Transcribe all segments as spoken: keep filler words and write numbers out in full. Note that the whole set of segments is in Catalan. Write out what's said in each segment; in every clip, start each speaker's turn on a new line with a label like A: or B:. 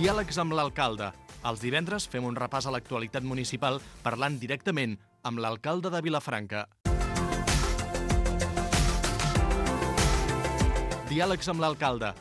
A: Diàlegs amb l'alcalde. Els divendres fem un repàs a l'actualitat municipal parlant directament amb l'alcalde de Vilafranca. Diàlegs amb l'alcalde.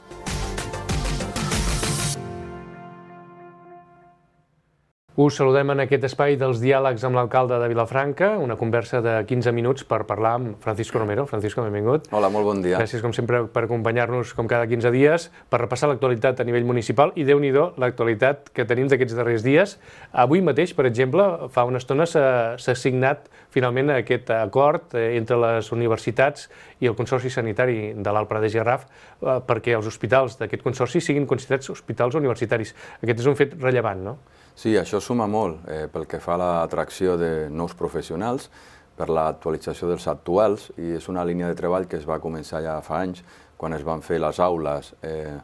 B: Us saludem en aquest espai dels diàlegs amb l'alcalde de Vilafranca, una conversa de quinze minuts per parlar amb Francisco Romero. Francisco, benvingut.
C: Hola, molt bon dia.
B: Gràcies, com sempre, per acompanyar-nos com cada quinze dies, per repassar l'actualitat a nivell municipal i, déu-n'hi-do, l'actualitat que tenim d'aquests darrers dies. Avui mateix, per exemple, fa una estona s'ha signat finalment aquest acord entre les universitats i el Consorci Sanitari de l'Alt Pradell i Garraf perquè els hospitals d'aquest consorci siguin considerats hospitals universitaris. Aquest és un fet rellevant, no?
C: Sí, això suma molt eh, pel que fa a l'atracció de nous professionals, per l'actualització dels actuals, i és una línia de treball que es va començar ja fa anys, quan es van fer les aules eh,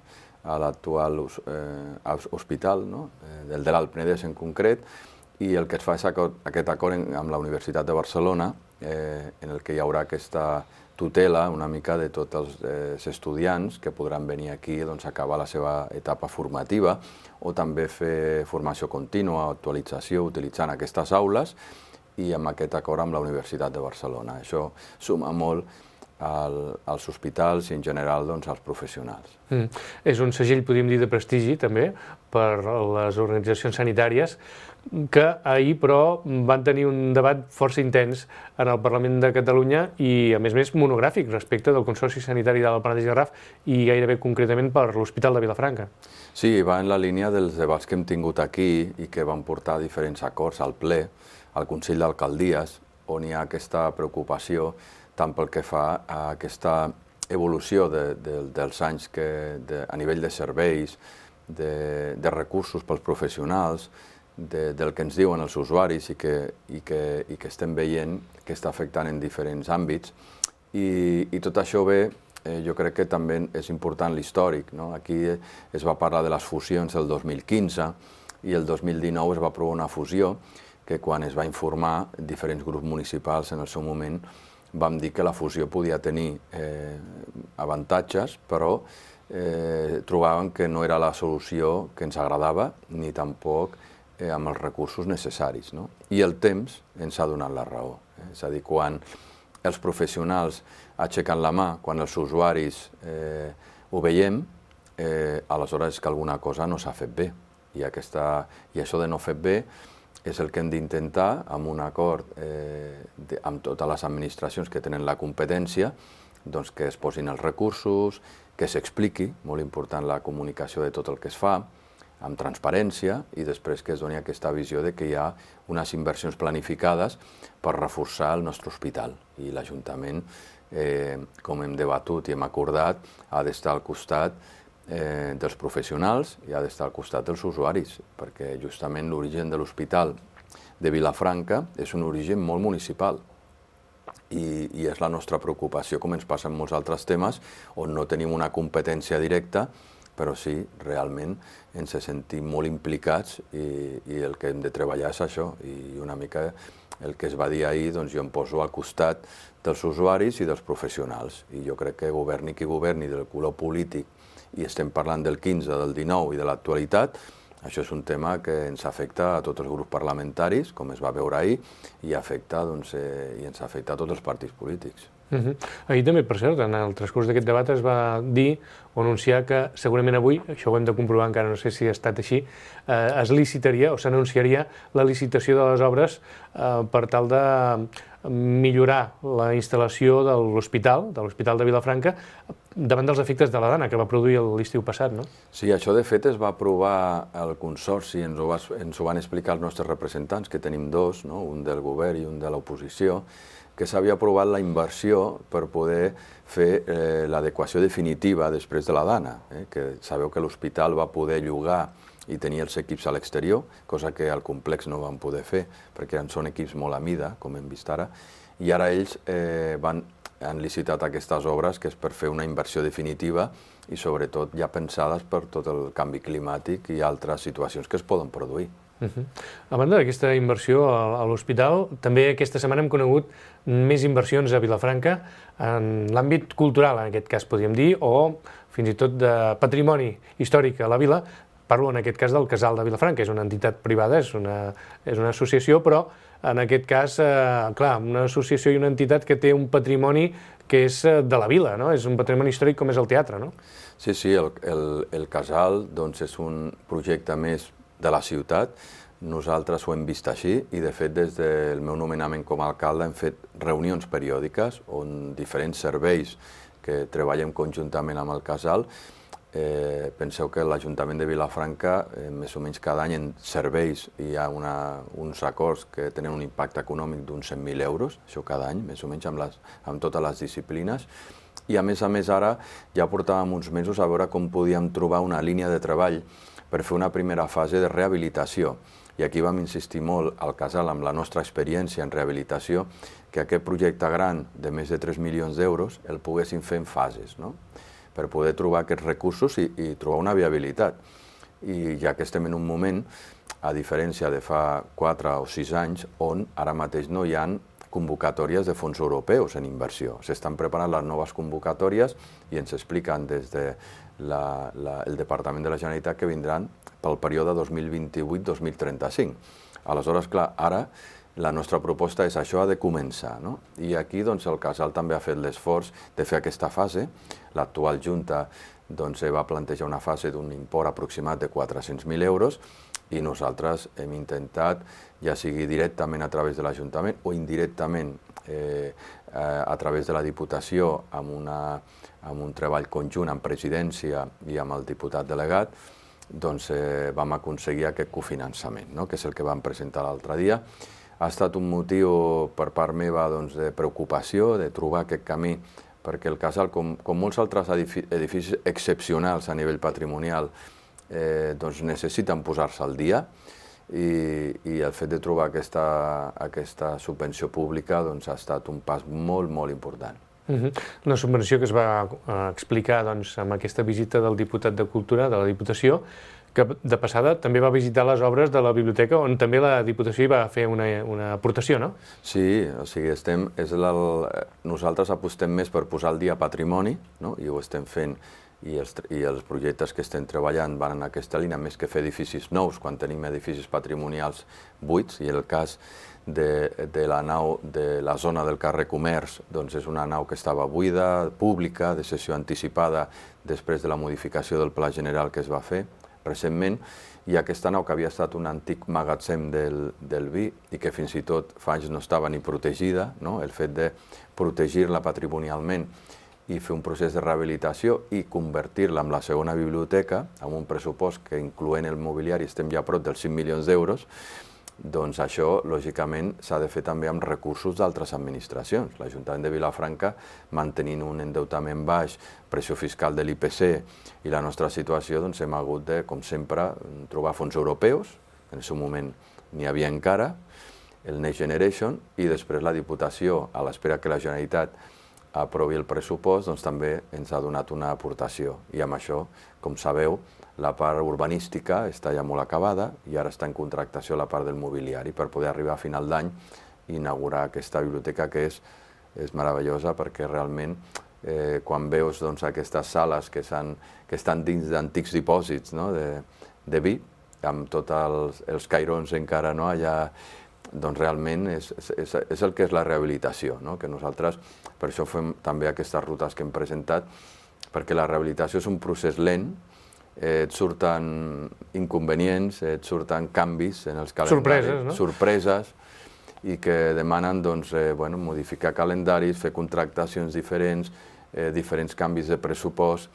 C: a l'actual eh, hospital, no? eh, del de l'Alt Penedès en concret, i el que es fa és aquest acord amb la Universitat de Barcelona, eh, en el que hi haurà aquesta tutela una mica de tots els eh, estudiants que podran venir aquí doncs, a acabar la seva etapa formativa o també fer formació contínua, actualització, utilitzant aquestes aules i amb aquest acord amb la Universitat de Barcelona. Això suma molt al, als hospitals i en general doncs, als professionals.
B: Mm. És un segell, podríem dir, de prestigi també per les organitzacions sanitàries que ahir, però, van tenir un debat força intens en el Parlament de Catalunya i, a més a més, monogràfic respecte del Consorci Sanitari de l'Alt Pradell i Garraf i gairebé concretament per l'Hospital de Vilafranca.
C: Sí, va en la línia dels debats que hem tingut aquí i que van portar diferents acords al ple, al Consell d'Alcaldies, on hi ha aquesta preocupació tant pel que fa a aquesta evolució de, de, dels anys que, de, a nivell de serveis, de, de recursos pels professionals, de, del que ens diuen els usuaris i que, i, que, i que estem veient que està afectant en diferents àmbits. I, i tot això ve, eh, jo crec que també és important l'històric, no? Aquí es va parlar de les fusions del dos mil quinze i el dos mil dinou es va aprovar una fusió que quan es va informar diferents grups municipals en el seu moment vam dir que la fusió podia tenir eh, avantatges, però eh, trobàvem que no era la solució que ens agradava ni tampoc eh, amb els recursos necessaris, no? I el temps ens ha donat la raó. Eh? És a dir, quan els professionals aixequen la mà, quan els usuaris eh, ho veiem, eh, aleshores és que alguna cosa no s'ha fet bé. I, aquesta, I això de no fer bé és el que hem d'intentar, amb un acord eh, de, amb totes les administracions que tenen la competència, doncs que es posin els recursos, que s'expliqui, molt important la comunicació de tot el que es fa, amb transparència, i després que es doni aquesta visió de que hi ha unes inversions planificades per reforçar el nostre hospital. I l'Ajuntament, eh, com hem debatut i hem acordat, ha d'estar al costat Eh, dels professionals i ha d'estar al costat dels usuaris, perquè justament l'origen de l'Hospital de Vilafranca és un origen molt municipal i, i és la nostra preocupació, com ens passa en molts altres temes, on no tenim una competència directa, però sí, realment ens sentim molt implicats i, i el que hem de treballar és això, i una mica el que es va dir ahir, doncs jo em poso al costat dels usuaris i dels professionals, i jo crec que governi qui governi del color polític i estem parlant del quinze, del dinou i de l'actualitat, això és un tema que ens afecta a tots els grups parlamentaris, com es va veure ahir, i, afecta, doncs, eh, i ens afecta a tots els partits polítics.
B: Uh-huh. Ahir també, per cert, en el transcurs d'aquest debat es va dir o anunciar que segurament avui, això ho hem de comprovar, encara no sé si ha estat així, eh, es licitaria o s'anunciaria la licitació de les obres eh, per tal de millorar la instal·lació de l'hospital, de l'Hospital de Vilafranca, davant dels efectes de la Dana, que va produir l'estiu passat, no?
C: Sí, això de fet es va aprovar al Consorci, ens ho, va, ens ho van explicar els nostres representants, que tenim dos, no? Un del govern i un de l'oposició, que s'havia aprovat la inversió per poder fer eh, l'adequació definitiva després de la Dana, eh? Que sabeu que l'hospital va poder llogar i tenir els equips a l'exterior, cosa que al complex no van poder fer, perquè són equips molt a mida, com hem vist ara, i ara ells eh, van, han licitat aquestes obres, que és per fer una inversió definitiva i sobretot ja pensades per tot el canvi climàtic i altres situacions que es poden produir.
B: Uh-huh. A banda d'aquesta inversió a l'hospital, també aquesta setmana hem conegut més inversions a Vilafranca en l'àmbit cultural, en aquest cas podríem dir, o fins i tot de patrimoni històric a la vila, Parlo en aquest cas del Casal de Vilafranca, és una entitat privada, és una, és una associació, però en aquest cas, eh, clar, una associació i una entitat que té un patrimoni que és de la vila, no? És un patrimoni històric com és el teatre, no?
C: Sí, sí, el, el, el Casal doncs, és un projecte més de la ciutat. Nosaltres ho hem vist així i, de fet, des del meu nomenament com a alcalde hem fet reunions periòdiques on diferents serveis que treballem conjuntament amb el Casal. Eh, penseu que l'Ajuntament de Vilafranca, eh, més o menys cada any en serveis hi ha una, uns acords que tenen un impacte econòmic d'uns cent mil euros, això cada any, més o menys amb, les, amb totes les disciplines. I a més a més ara ja portàvem uns mesos a veure com podíem trobar una línia de treball per fer una primera fase de rehabilitació. I aquí vam insistir molt al Casal, amb la nostra experiència en rehabilitació, que aquest projecte gran de més de tres milions d'euros el poguessin fer en fases, no? Per poder trobar aquests recursos i, i trobar una viabilitat. I ja que estem en un moment, a diferència de fa quatre o sis anys, on ara mateix no hi ha convocatòries de fons europeus en inversió. S'estan preparant les noves convocatòries i ens expliquen des del de la, el Departament de la Generalitat que vindran pel període dos mil vint-i-vuit dos mil trenta-cinc. Aleshores, clar, ara la nostra proposta és això ha de començar, no? I aquí doncs, el Casal també ha fet l'esforç de fer aquesta fase. L'actual Junta doncs, va plantejar una fase d'un import aproximat de quatre-cents mil euros i nosaltres hem intentat, ja sigui directament a través de l'Ajuntament o indirectament eh, a través de la Diputació, amb, una, amb un treball conjunt amb presidència i amb el diputat delegat, doncs eh, vam aconseguir aquest cofinançament, no? Que és el que vam presentar l'altre dia. Ha estat un motiu per part meva doncs, de preocupació, de trobar aquest camí, perquè el Casal, com, com molts altres edificis excepcionals a nivell patrimonial, eh, doncs necessiten posar-se al dia i, i el fet de trobar aquesta, aquesta subvenció pública doncs, ha estat un pas molt, molt important.
B: Uh-huh. Una subvenció que es va uh, explicar doncs, amb aquesta visita del diputat de Cultura de la Diputació, que de passada també va visitar les obres de la biblioteca, on també la Diputació hi va fer una, una aportació, no?
C: Sí, o sigui, estem, és el, nosaltres apostem més per posar al dia patrimoni, no? I ho estem fent, i els, i els projectes que estem treballant van en aquesta línia, més que fer edificis nous, quan tenim edificis patrimonials buits, i el cas de, de la nau de la zona del carrer Comerç, doncs és una nau que estava buida, pública, de sessió anticipada després de la modificació del Pla General que es va fer recentment, i aquesta nau que havia estat un antic magatzem del, del vi i que fins i tot fa anys no estava ni protegida, no? El fet de protegir-la patrimonialment i fer un procés de rehabilitació i convertir-la en la segona biblioteca, amb un pressupost que, incloent el mobiliari, estem ja a prop dels cinc milions d'euros, doncs això, lògicament, s'ha de fer també amb recursos d'altres administracions. L'Ajuntament de Vilafranca, mantenint un endeutament baix, pressió fiscal de l'I P C i la nostra situació, doncs hem hagut de, com sempre, trobar fons europeus, en el seu moment n'hi havia encara, el Next Generation, i després la Diputació, a l'espera que la Generalitat aprovi el pressupost, doncs també ens ha donat una aportació. I amb això, com sabeu, la part urbanística està ja molt acabada i ara està en contractació la part del mobiliari per poder arribar a final d'any i inaugurar aquesta biblioteca que és, és meravellosa perquè realment eh, quan veus doncs, aquestes sales que, que estan dins d'antics dipòsits, no? de, de vi, amb tots els, els cairons encara no? allà, doncs realment és, és, és el que és la rehabilitació, no? Que nosaltres per això fem també aquestes rutes que hem presentat, perquè la rehabilitació és un procés lent, et surten inconvenients, et surten canvis en els calendaris,
B: sorpreses, no?
C: sorpreses, i que demanen doncs, eh, bueno, modificar calendaris, fer contractacions diferents, eh, diferents canvis de pressupost,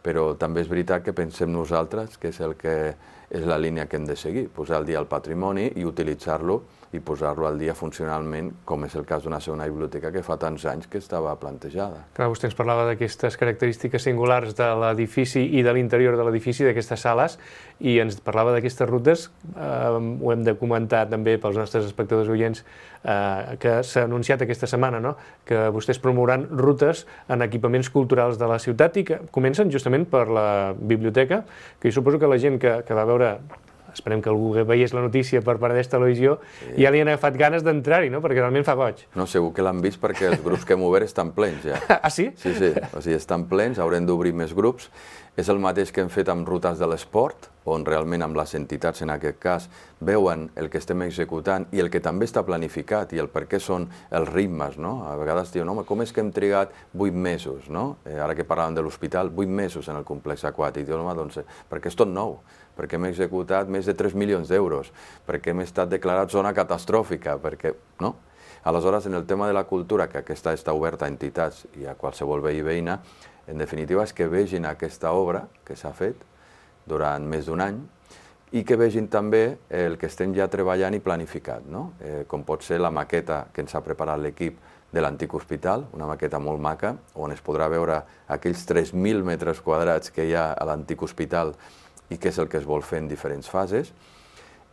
C: però també és veritat que pensem nosaltres que és el que és la línia que hem de seguir, posar al dia el patrimoni i utilitzar-lo i posar-lo al dia funcionalment, com és el cas d'una segona biblioteca que fa tants anys que estava plantejada.
B: Clar, vostè ens parlava d'aquestes característiques singulars de l'edifici i de l'interior de l'edifici, d'aquestes sales, i ens parlava d'aquestes rutes, eh, ho hem de comentar també pels nostres espectadors oients, eh, que s'ha anunciat aquesta setmana, no? Que vostès promouran rutes en equipaments culturals de la ciutat i que comencen justament per la biblioteca, que jo suposo que la gent que, que va veure, esperem que algú veiés la notícia per part d'esta televisió, sí. Ja li han agafat ganes d'entrar-hi, no? Perquè realment fa goig.
C: No, segur que l'han vist perquè els grups que hem obert estan plens ja.
B: Ah, sí?
C: Sí, sí, o sigui, estan plens, haurem d'obrir més grups. És el mateix que hem fet amb rutes de l'esport, on realment amb les entitats, en aquest cas, veuen el que estem executant i el que també està planificat i el per què són els ritmes, no? A vegades diuen, home, com és que hem trigat vuit mesos, no? Eh, ara que parlàvem de l'hospital, vuit mesos en el complex aquàtic. Diuen, home, doncs, perquè és tot nou, perquè hem executat més de tres milions d'euros, perquè hem estat declarat zona catastròfica, perquè, no? Aleshores, en el tema de la cultura, que aquesta està oberta a entitats i a qualsevol veí i veïna, en definitiva és que vegin aquesta obra que s'ha fet durant més d'un any i que vegin també el que estem ja treballant i planificat, no? Eh, com pot ser la maqueta que ens ha preparat l'equip de l'antic hospital, una maqueta molt maca, on es podrà veure aquells tres mil metres quadrats que hi ha a l'antic hospital i què és el que es vol fer en diferents fases.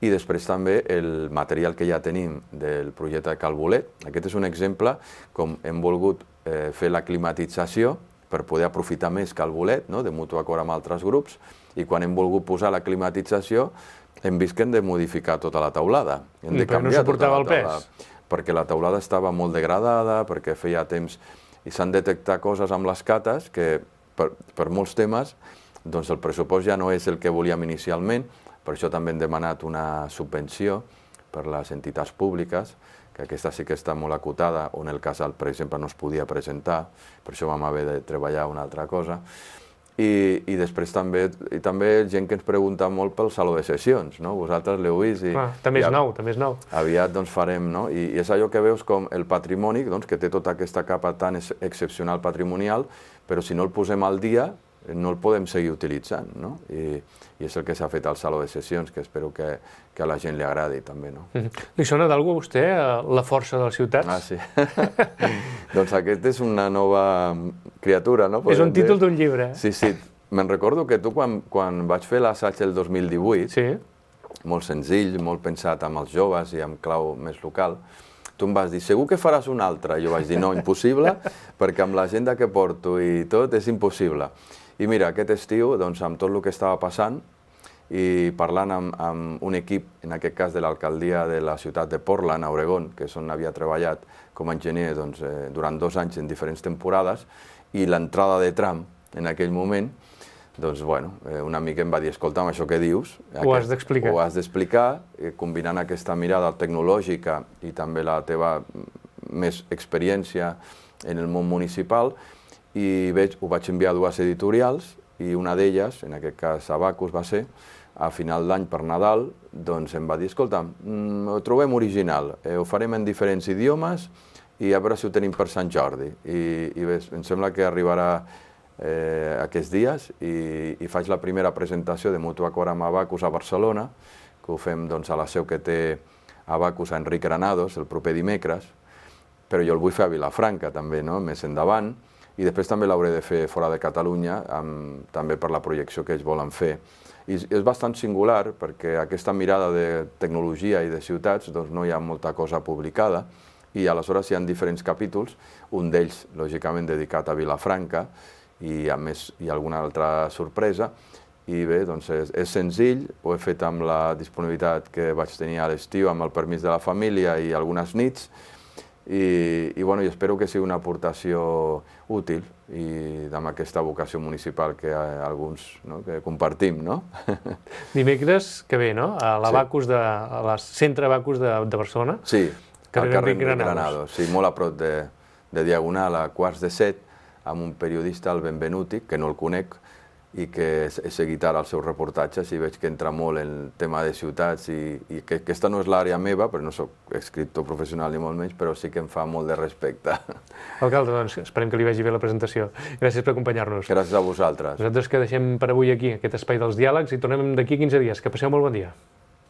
C: I després també el material que ja tenim del projecte de Cal Bolet. Aquest és un exemple com hem volgut eh, fer la climatització per poder aprofitar més Cal Bolet, no? De mutu acord amb altres grups, i quan hem volgut posar la climatització hem vist que hem de modificar tota la teulada. Hem de
B: I perquè no suportava el pes?
C: Perquè la teulada estava molt degradada, perquè feia temps i s'han detectat coses amb les cates que per, per molts temes doncs el pressupost ja no és el que volíem inicialment. Per això també hem demanat una subvenció per les entitats públiques, que aquesta sí que està molt acotada, on el casal, per exemple, no es podia presentar, per això vam haver de treballar una altra cosa. I, i després també, i també gent que ens pregunta molt pel saló de sessions, no? Vosaltres l'heu vist i...
B: Ah, també és nou, també és nou.
C: Aviat doncs farem, no? I, i és allò que veus com el patrimoni, doncs, que té tota aquesta capa tan ex excepcional patrimonial, però si no el posem al dia, no el podem seguir utilitzant, no? I, i és el que s'ha fet al saló de sessions, que espero que, que a la gent li agradi també, no?
B: Mm-hmm. Li sona d'algú a vostè la força de les ciutats?
C: Ah, sí. Doncs aquest és una nova criatura, no?
B: És un títol d'un llibre.
C: Sí, sí. Me'n recordo que tu, quan, quan vaig fer l'assaig el dos mil divuit,
B: sí.
C: Molt senzill, molt pensat amb els joves i amb clau més local, tu em vas dir, segur que faràs un altre? Jo vaig dir, no, impossible, perquè amb l'agenda que porto i tot és impossible. I mira, aquest estiu, doncs, amb tot el que estava passant i parlant amb, amb un equip, en aquest cas de l'alcaldia de la ciutat de Portland, a Oregon, que és on havia treballat com a enginyer doncs, eh, durant dos anys en diferents temporades, i l'entrada de tram en aquell moment, doncs, bueno, eh, un amic em va dir, escolta'm, això que dius...
B: Ho has d'explicar.
C: Ho has d'explicar, eh, combinant aquesta mirada tecnològica i també la teva més experiència en el món municipal, i veig, ho vaig enviar a dues editorials, i una d'elles, en aquest cas Abacus va ser, a final d'any per Nadal, doncs em va dir, escolta'm, mm, ho trobem original, eh, ho farem en diferents idiomes i a veure si ho tenim per Sant Jordi. I, i bé, em sembla que arribarà eh, aquests dies i, i faig la primera presentació de mutu acord amb Abacus a Barcelona, que ho fem doncs, a la seu que té Abacus a Enric Granados el proper dimecres, però jo el vull fer a Vilafranca també, no? Més endavant, i després també l'hauré de fer fora de Catalunya, amb, també per la projecció que ells volen fer. I és bastant singular perquè aquesta mirada de tecnologia i de ciutats doncs no hi ha molta cosa publicada i aleshores hi ha diferents capítols, un d'ells lògicament dedicat a Vilafranca i a més hi ha alguna altra sorpresa i bé, doncs és, és senzill, ho he fet amb la disponibilitat que vaig tenir a l'estiu amb el permís de la família i algunes nits i, i, bueno, i espero que sigui una aportació útil i amb aquesta vocació municipal que alguns no, que compartim, no?
B: Dimecres que ve, no? A l'Abacus, sí. de, a la Centre Abacus de, de Barcelona.
C: Sí,
B: al
C: carrer Enric Granados. Sí, molt a prop de, de Diagonal, a quarts de set, amb un periodista, el Benvenuti, que no el conec, i que he seguit ara els seus reportatges i veig que entra molt en el tema de ciutats i, i que aquesta no és l'àrea meva, però no soc escriptor professional ni molt menys, però sí que em fa molt de respecte.
B: Alcalde, doncs esperem que li vagi bé la presentació. Gràcies per acompanyar-nos.
C: Gràcies a vosaltres.
B: Nosaltres que deixem per avui aquí aquest espai dels diàlegs i tornem d'aquí a quinze dies. Que passeu molt bon dia.